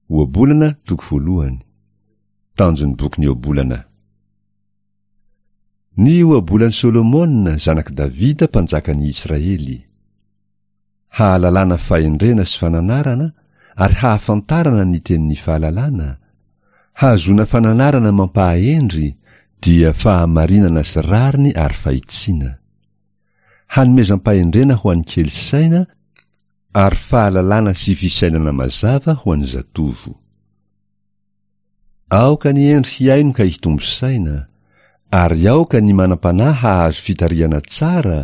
Ohabolana toko voalohany. Tanjon'ny bokin'ny Ohabolana. Ny ohabolan'i Solomona, zanak'i Davida, mpanjakan'i Israely. Hahalalana fahendrena sy fananarana ary hahafantarana ny tenin'ny fahalalana, hahazoana fananarana mampahahendry, dia fahamarinana sy rariny ary fahitsiana. Hanomezam-pahendrena ho an'ny kely saina ary fahalalana sy fisainana mazava ho an'ny zatovo. Aoka ny hendry hihaino ka hitombo saina, ary aoka ny manam-panahy hahazo fitarihana tsara,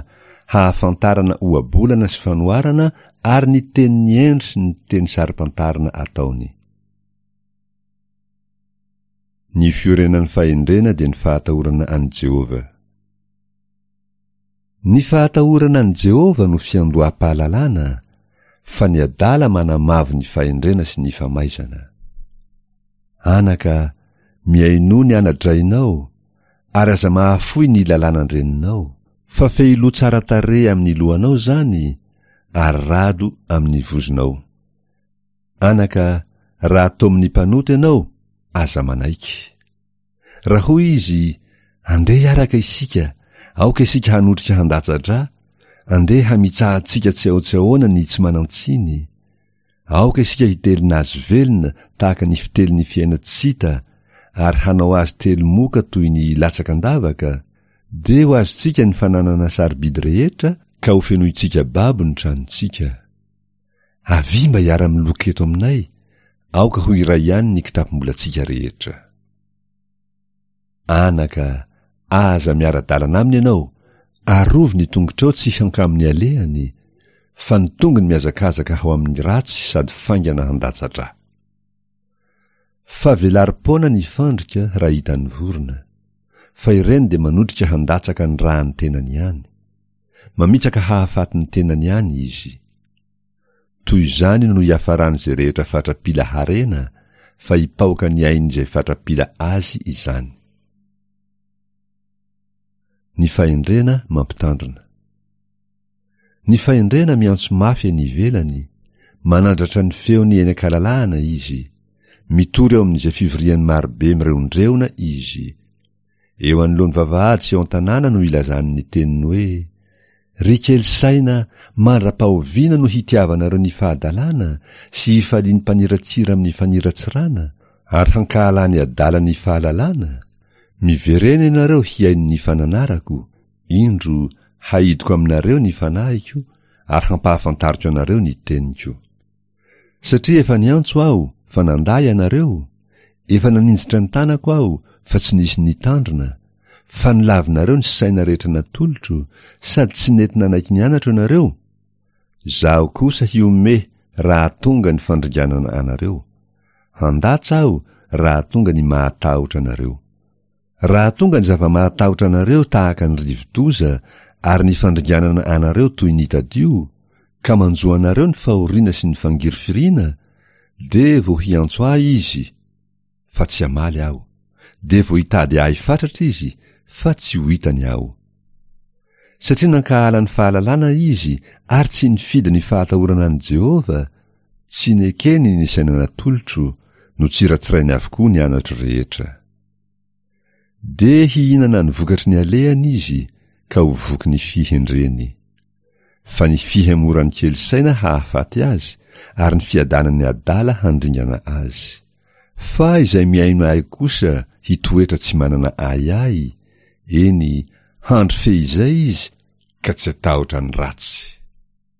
hahafantarana ohabolana sy fanoharana ary ny tenin'ny hendry sy ny teny saro-pantarina ataony. Ny fiorenan'ny fahendrena dia ny fahatahorana an'i Jehovah. Ny fahatahorana an'i Jehovah no fiandoham-pahalalana, fa ny adala manamavo ny fahendrena sy ny famaizana. Anaka, mihainoa ny ana-drainao, ary aza mahafoy ny lalànan-dreninao, fa fehiloha tsara tarehy amin'ny lohanao izany, ary rado amin'ny vozonao. Anaka, raha tomin'ny mpanota ianao, aza manaiky. Raha hoy izy, Andeha hiaraka isika, aoka isika hanotrika handatsa-drà, andeha hamitsahantsika tsy ahoa-tsy ahoana ny tsy manan-tsiny. Aoka isika hitelina azy velona tahaka ny fitelin'ny fiaina-tsy hita, ary hanao azy teli-moka toy ny latsaka an-davaka, dia ho azontsika ny fananana sarobidy rehetra ka hofenointsika babo ny tranontsika. Avia mba hiara-miloka eto aminay, aoka ho iray ihany ny kitapom-bolantsika rehetra. Anaka, aza miara-dalana aminy ianao, arovy ny tongotrao tsy hankamin'ny alehany, fa ny tongony mihazakazaka ho amin'ny ratsy sady faingana handatsa-drà. Fa velarim-poana ny fandrika raha hitan'ny vorona, fa ireny dia manotrika handatsaka ny ràn'ny tenany ihany. Mamitsaka hahafaty ny tenany ihany izy. Toy izany no hiafaran'izay rehetra fatra-pila harena, fa hipaoka ny ain'izay fatra-pila azy izany. Ny fahendrena mampitandrina. Ny fahendrena miantso mafy eny ivelany, manandratra ny feony eny an-kalalahana izy, mitory ao amin'izay fivorian'ny marobe mireondreona izy. Eo anoloan'ny vavahady sy eo an-tanàna no ilazany ny teniny hoe, Ry kely saina, mandra-pahoviana no hitiavanareo ny fahadalana sy hifalian'ny mpaniratsira amin'ny faniratsirana, ary hankahalan'ny adala ny fahalalana? Miverena ianareo hihaino ny fananarako, indro, haidiko aminareo ny fanahiko ary hampahafantariko anareo ny teniko. Satria efa niantso aho, fa nandà ianareo, efa naninjitra ny tanako aho, fa tsy nisy nitandrina, fa nolavinareo ny saina rehetra natolotro, sady tsy nety nanaiky ny anatro ianareo, Izaho kosa hihomehy raha tonga ny fandringanana anareo, handatsa aho raha tonga ny mahatahotra anareo. Raha tonga ny zava-mahatahotra anareo tahaka ny rivo-doza ary ny fandringanana anareo toy ny tadio, ka manjo anareo ny fahoriana sy ny fangirifiriana, dia vao hiantso ahy izy, fa tsy hamaly aho, dia vao hitady ahy fatratra izy, fa tsy ho hitany aho. Satria nankahala ny fahalalana izy ary tsy nifidy ny fahatahorana an'i Jehovah, tsy nekeny ny saina natolotro, notsiratsirainy avokoa ny anatro rehetra. Dia hihinana ny vokatry ny alehany izy ka ho voky ny fihendreny. Fa ny fihemoran'ny kely saina hahafaty azy, ary ny fiadanan'ny adala handringana azy. Fa izay mihaino ahy kosa hitoetra tsy manana ahiahy, eny, handry fehizay izy ka tsy hatahotra ny ratsy.